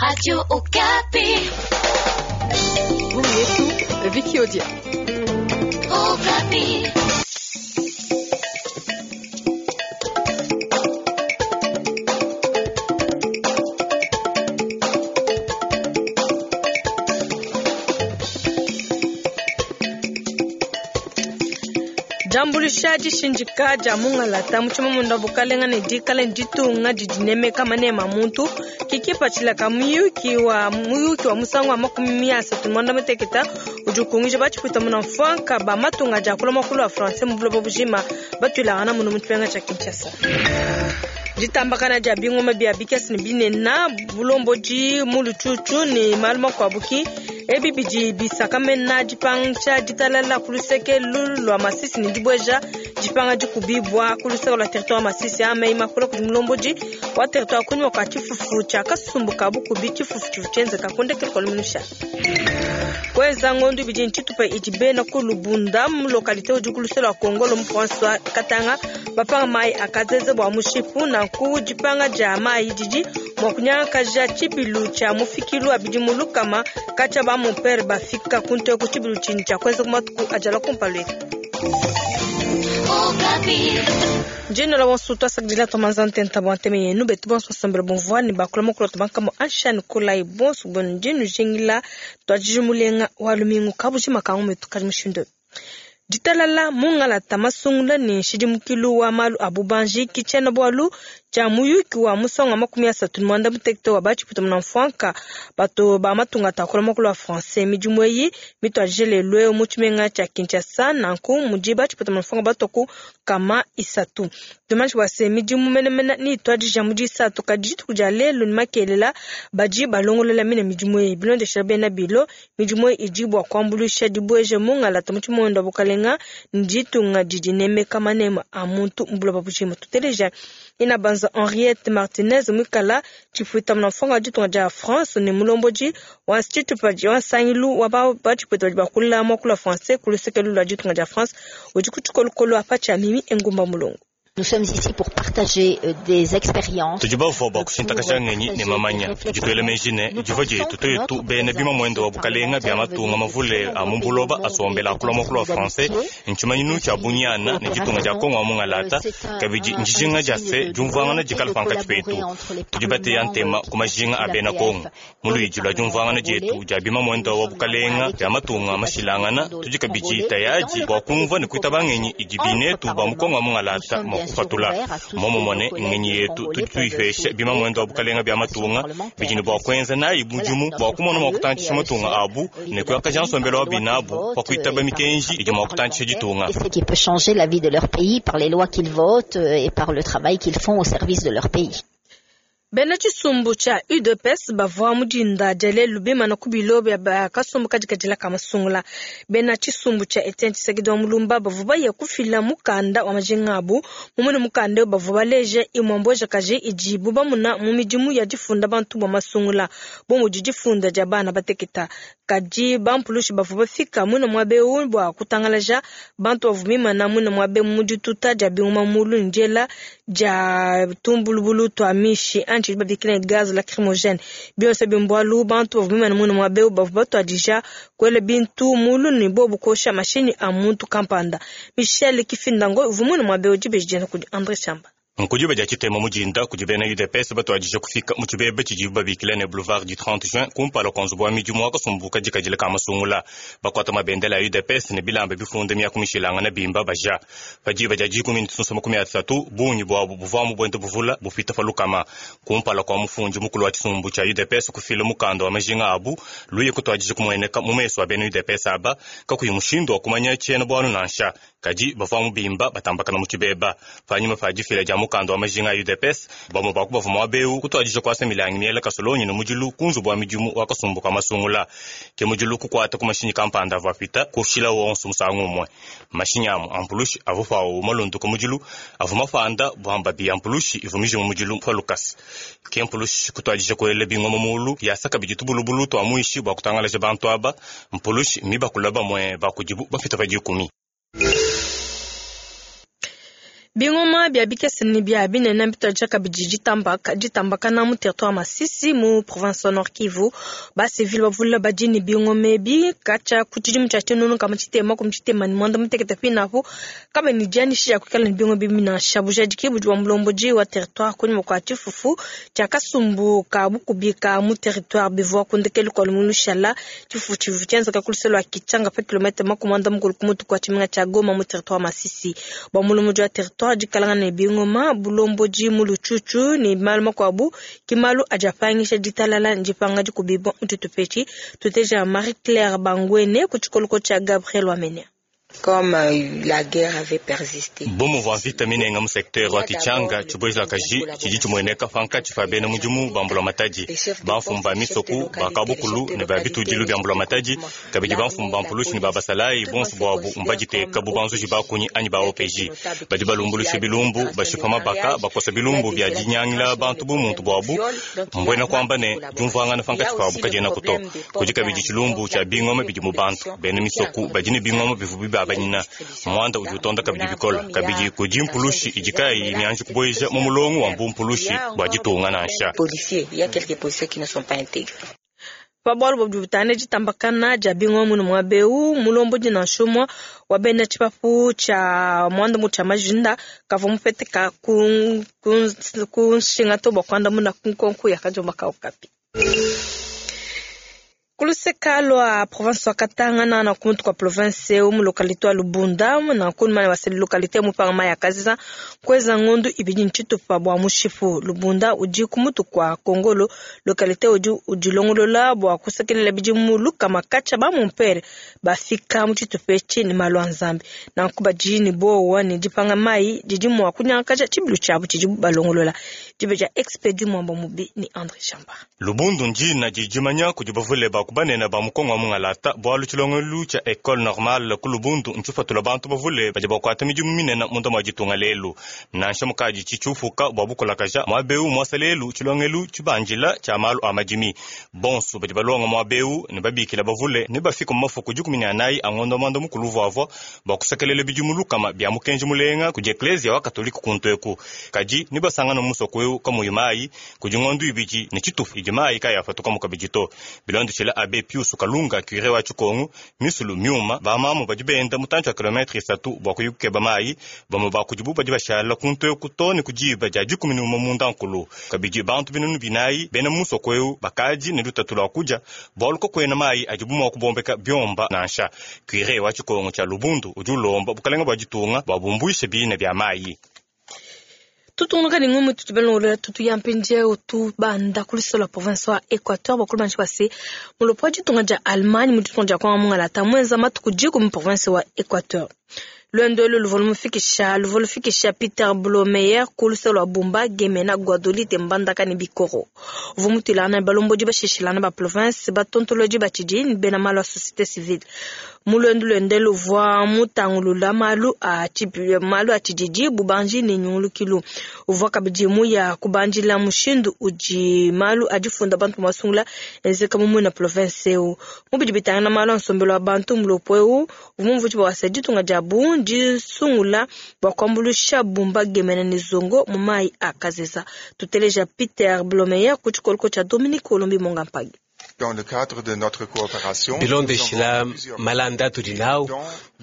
Radio Okapi. Yetu Vicky Odia. Okapi. Diambuluisha dishindika dia mungalata mu tshimamunda bukalenga ne dikala ne ditunga didi nemeka manema a muntu kikipatshila ka muyuki wa muyuki wa musangu wa 36 udi ukungija batshipwita muna mfwanka ba matunga dia akula muakulu wa français mu buloba bujima batuilangana munu mu tshipenga tshia Kinshasa. Ditambakana dia bingoma bia bikese ne binena bulombodi mu lutshutshu ne malu makuabu ki ebi bidi bisakamena dipangisha ditalala ku luseke lua Masisi ne dibueja dipanga dikubibwa ku luseke lua territoire Masisi a meyi makula kudi mulombodi wa territoire kunyima kua tshifufu tshia kasumbu ka bukubi tshifufu tshivua tshienzeka ku ndekelu kua luminusha. Kuenza ngondo ibidi ntshitupa idi bena ku Lubunda mu localité udi ku luseke lua Kongolo mu province wa Katanga bapanga mayi akazeze bua mushipu nanku dipanga dia mayi didi mua kunyangakaja tshibilu tshia mufikilu wa bidimu lukama katshia ba mompere bafika ku nteku tshibilu tshinyi tshia kuenza ku matuku adi alua kumpala eku. Okapi. Njino la bonso twasakidila twamanza ntenta bua nteme yenu betu bonso basambela bumvua ne bakula mukulu tubankamo anshani kulayi bonso bwenu ndinu jingila twajiji mulenga wa lumingu kabujima kangu metu kadi mushindu ditalala mungalata masungula ne nshidimukilu wa malu a bubanji ki tshiena bualu tshia muyuki wa musangu wa 36 wa batshiputa muna mfwanka bato ba matunga atakula muakulu wa français midimu eyi mituadije lelu eu mu tshimenga tshia Kinshasa nanku mudi batshiputa muna mfwanka batoku kama isatu tumanyi bua se midimu menemene ni ituadija mu disatu kadi dituku dia lelu ne makelela badi balongolola mine midimu eyi bilondeshela bena bilo midimu eyi idi bua kuambuluisha dibueja mungalata mu tshimonda bukalenga ne ditunga didi nemeka manema a muntu mu buloba bujima tuteleja ina banza Henriette Martinez mwikala tshipuita muna mfwanka wa ditunga dia France ne mulombodi wa institut wa nsangilu wa batshipuita badi bakula muakulu wa français ku luseke lua ditunga dia France udi ku tshikolokolo apa tshia mimi engumba mulongo. Nous sommes ici pour partager des expériences. Tudi bavua bua kushintakasha ngenyi ne mamanya dituele meji ne divua dietu tuetu bena bima muende wa bukalenga bia matunga mavule a mu buloba asombela akula muakulu wa français ntshimanyinu tshia bunyana ne ditunga dia Kongo wa mungalata kabidi ndijinga dia se diumvuangana dikala pankatshi petu tudi bateya ntema ku majinga a bena Kongo mu luidi lua diumvuangana dietu dia bima muende wa bukalenga bia matunga mashilangana tudi kabidi tayadi bua kumvua ne kuitaba ngenyi idi binetu ba mu Kongo wa mungalata mua kupatula momumone ngenyi yetu tudi tuyipesha bima muende wa bukalenga bia matunga bidi ne bua kuenza nayi mudimu bua kumona mua kutantshisha matunga abu ne kuyakaja nsombelo wa binabu pa kuitaba mikenji idi mua kutantshisha ditunga. Et ce qui peut changer la vie de leur pays par les lois qu'ils votent et par le travail qu'ils font au service de leur pays. Bena tshisumbu tshia UDPS bavua mu dinda dia lelu bimana ku bilo bia kasumbu kadikadila ka masungula. Bena tshisumbu tshia Etienne Tshisekedi wa Mulumba bavua baya kufila mukanda wa majinga abu mumune mukanda eu bavua baleja imue mbuejakaji idibu bamuna mu midimu ya difunda bantu bua masungula bu mudi difunda dia bana bateketa. Kadi bampulushi bavua bafika muine muaba eu bua kutangalaja bantu bavua bimana muine muaba mu dituta dia bingoma mulu ne diela dia tumbulubulu tua mishi anyi babikila gaz lacrymogène bionso bimbualu bantu bavua bimana muine muaba eu bavua batuadija kuela bintu mulu ne bobu kosha mashinyi a muntu kampanda. Michel Kifindango uvua muine muaba eu dibeji dienda kudi André Chamba. Nkudiba dia tshitema mu dinda kudi bena UDPS batuadija kufika mu tshibebe tshidibu babikila ne boulevard du 30 juin kumpala kua nzubu wa midimu wa kasumbu kadikadila ka masungula bakuata mabendela ya UDPS ne bilamba bifunde miaku mishilangana bimba baja padiba dia 10:30 bungi buabu buvua mu buende buvula bupita pa lukama kumpala kua mufundi mukulu wa tshisumbu tshia UDPS kufila mukanda wa majinga abu luye kutuadija kumueneka mu mesu a bena UDPS aba kakuyi mushindu wa kumanya tshiena bualu nansha kadi bavua mu bimba batambakana mu tshibeba panyima pa difila dia mukanda wa majinga a UDPS bamue baku bavua muaba eu kutuadija kuasa milangi miela kasolonyi ne mudilu ku nzubu wa midimu wa kasumbu ka masungula ke mudilu kukuata ku mashinyi kampanda avua apita kushila wonso musangu umue mashinyi amu ampulushi avua pawu malunduka mudilu avua mapanda buamba bi ampulushi ivua mijimu mudilu pa lukasa ke mpulushi kutuadija kuela bingoma mulu yasa kabidi tubulubulu tua muishi bua kutangalaja bantu aba mpulushi mibakula bamue bakudibu bapita pa 10. Bingoma bia bikese ne bia binene mbituadija kabidi ditambakana mu territoire Masisi mu province wa Nord Kivu. Basivile bavule badi ne bingoma ebi katshia ku tshidimu tshia 1968 pinapu kabena ne dianyisha dia kuikala ne bingoma ebi nansha. Bujadiki budi bua mulombodi wa territoire kunyima kua tshifufu tshia kasumbu ka bukubi ka mu territoire bivua ku ndekelu kua lumingu lushala. Tshifufu tshivua tshienzeka ku luseke lua Kitshanga pa kilomètre 50 ku mutu kua tshimenga tshia Goma mu territoire Masisi. Bua mulombodi wa territoire dikalanga ne bingoma bulombodi mu lutshutshu ne malu makuabu ki malu adi apangisha ditalala ndipanga dikubibua mu tshitupa Tuteja Marie Claire Bangwene ku tshikoloko tshia Gabriel Wamenya. Comme la guerre avait persisté. Bomu bua mvita minenga mu secteur wa Kitshanga tshibuejakaji tshidi tshimueneka pankatshi pa bena mudimu ba mbulamatadi, bamfumu ba misoko, ba kabukulu ne ba bitudilu bia mbulamatadi, kabidi bamfumu ba mpulushi ne ba basalayi bonso buabu mbaditeka bu banzuji bakunyi anyi ba OPJ. Badi balumbulusha bilumbu, bashipa mabaka, bakosa bilumbu bia dinyangila bantu bu muntu buabu, mbwena kuamba ne diumvuangana pankatshi pabu kadiena kuto. Kudi kabidi tshilumbu tshia bingoma bidi mu bantu, bena misoko badi ne bingoma bivu bibabanyina. Mwanda udi utonda kabidi bikola kabidi kudi mpulushi idi kayi mianji kubueja mu mulongo wa mbumpulushi bua ditunga nansha. Pa bualu bua butane ditambakana dia bingoma muno muaba eu, mulombodi nansha umue wa bena tshipapu tshia muanda mu tshia majinda kavua mupeteka ku nshinga to bua kuandamuna ku nkonko ya kadiomba ka Okapi. Kuluseka lwa province wa Katanga na kumutu kwa province eu mu localité wa Lubunda na kunuma wa localité mu pangama ya Kaziza kweza ngondu ibidi ntshitupa bua mushipu. Lubunda udi kumutu kwa Kongolo localité udi udilongolola bua kusekelela bidimu lukama katshia ba mumpere bafika mu tshitupa etshi ne malu a Nzambi. Nanku badi ne bowa ne dipanga mai didi mua kunyangakaja tshibilu tshiabu tshidi balongolola. Dibe dia Expedi Mwamba Mubi ni André Chamba. Lubundu njina didimanya kudi bavule ba kubanena ba mukongo wa mungalata bualu tshilongelu tshia Ecole Normale ku Lubundu ntshipatula bantu bavule badi bakuata midimu minene munda mua ditunga lelu. Nansha mukadi tshitshiupuka bua bukulakaja muaba eu muasa lelu tshilongelu tshibanjila tshia malu a madimi. Bonso badi balonga muaba eu ne babikila bavule ne bafika mu mafuku 14 a ngondo mwanda mukulu vuavua bua kusekelela bidimu lukama bia mukenji mulenga kudi Eklezia wa Katolika kuntu eku. Kadi ne basangana musoko eu kamuyi mayi kudi ngondo ibidi ne tshitupa idi mayi kayapatuka mu kabidi to. Bilondo tshila Abbé Pius Kalunga curé wa Tshikongu misulu myuma bamamu badi benda mutantshi wa kilometre 3 bua kuyukeba mayi bamwe bakudibu badi bashala kuntu eku to ne kudiba dia 11 munda nkulu. Kabidi bantu binunu binayi bena musoko eu bakadi ne lutatu lua kudia bualu kakuena mayi adibu mua kubombeka biomba nansha. Curé wa Tshikongu tshia Lubundu udi ulomba bukalenga bua ditunga bua bumbuishe bina bia mayi. Tutungunuka ne ngumu tutubelongolola tutu ya mpindieu tubanda ku luso lua province wa Equateur bakulu banji base mulopo wa ditunga dia Allemagne mu ditunga dia Kongo mungalata mwenza matuku diku mu province wa Equateur. Lwendo elu luvua lumufikisha Peter Blomeyer ku luso lua Bumba, Gemena, Guadolite, Mbandaka ne Bikoro. Uvua mutuilangana ne balombodi bashishilana ba province batontolodi ba tshidi ne bena malu a société civile. Mu lwendo luende luvua mutangulula malu a tshididi bubanji ne nyungulukilu. Uvua kabidi muya kubandila mushindu udi malu adifunda bantu masungula enzeka mu muina province eu. Mubidi bitangana malu a nsombelu wa bantu mulopo eu uvua mumvuji bua wasa ditunga dia Bundi sungula bua kuambulusha Bumba, Gemena ne Zongo mu mayi a Kazeza. Tuteleja Peter Blomeyer ku tshikoloko tshia Dominique Olombi Monga Mpagi. Dans le cadre de notre coopération, bilondeshila malanda tudi nawu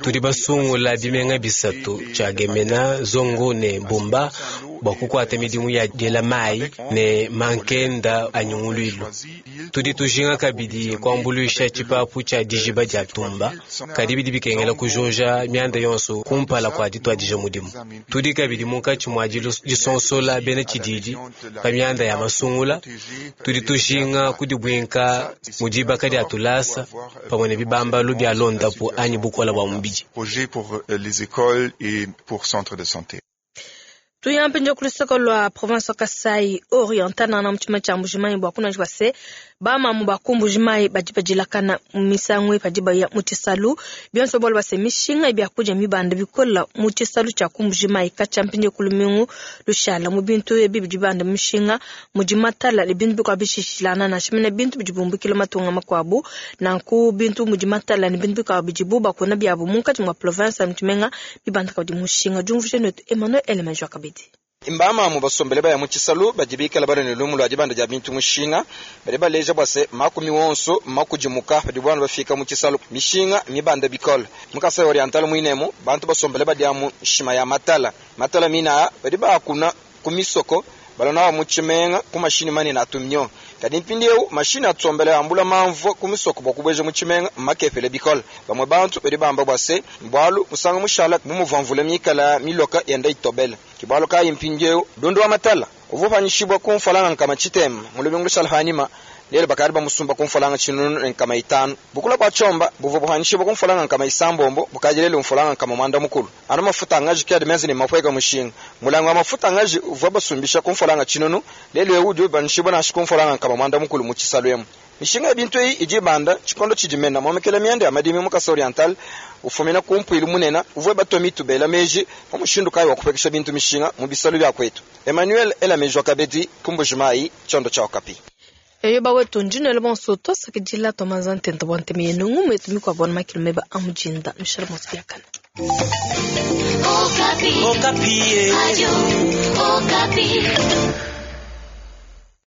tudi basungula bimenga bisatu tshia Gemena, Zongo ne Bumba bua kukuata midimu ya diela mayi ne mankenda a nyunguluilu. Tudi tujinga kabidi kuambuluisha tshipapu tshia dijiba dia Tumba kadi bidi bikengela kujoja mianda yonso kumpala kua dituadija mudimu. Tudi kabidi munkatshi mua disonsola bena tshididi pa mianda ya masungula. Tudi tujinga kudibuinka mu dibaka dia tulasa pamue ne bibambalu bia londapu anyi bukola bua mubidi. Projet pour les écoles et pour centres de santé. Tuyampe njo kulusoko lwa province wa Kasai Oriental na mchuma cha Mbujimayi bua kuna jwase Bamamu ba ku Mbuji-Mayi badi badilakana misangu eyi padi baya mu tshisalu. Bionso bualu bua se mishinga ya biakudia mibanda bikole mu tshisalu tshia ku Mbuji-Mayi katshia mpindieu ku lumingu lushala. Mu bintu ebi bidi bibanda mishinga mudi matala ne bintu bikuabu bishilashilangana, nansha mene bintu bidi bumbukila matunga makuabu. Nanku bintu mudi matala ne bintu bikuabu bidibu bakuna biabu munkatshi mua province mu tshimenga bibanda kabidi mushinga. Diumvuija netu Emmanuel Elemejo kabidi. Mbamamu basombele baya mu tshisalu badi bikala balue ne lumu lua dibanda dia bintu mushinga. Badi baleja bua se makumi wonso makudimuka padibu bana bafika mu tshisalu, mishinga mibanda bikole. Mu Kasai Oriental muinemu bantu basombele badiamu nshima ya matala. Matala mina badi baakuna ku misoko balua nawu mu tshimenga ku mashinyi manene a tumio. Kadi mpindieu mashinyi atsombele ambula mamvua ku misoko bua kubueja mu tshimenga mmakepele bikole. Bamue bantu badi bamba bua se bualu musanga mushala bu muvua mvula mikala miloka yenda itobela. Ke bualu kayi mpindieu ndundu wa matala uvua upanyishibua ku mfualanga 60 mu lumingu lushala panyima, lelu bakadi bamusumba ku mfualanga 1500. Bukula bua tshiomba buvua bupanyishibua ku mfualanga 60 bukadi lelu mfualanga 90. Anu mafuta a ngaji ke adi menze ne mapueka mushinga. Mulangi wa mafuta a ngaji uvua basumbisha ku mfualanga 1000, lelu eu udi upanyishibua nansha ku mfualanga 90 mu tshisalu emu. Mishinga ya bintu eyi idi ibanda tshikondo tshidi mena muomekela mianda ya madimi mu Kasai Oriental ufumina ku mpuilu munene uvua batua mitu bela meji pa mushindu kayi wa kupuekesha bintu mishinga mu bisalu bia kuetu. Emmanuel Elameji wa kabedi ku Mbuji-Mayi, tshiondo tshia Okapi. Eyo bawetu ndinwele bonso twasakidila twamanza ntenta bwa nteme yenu ngumu yetu mikuabo na makilo meba a mujinda nushale bonso biakana. Okapi. Okapi. Radio Okapi.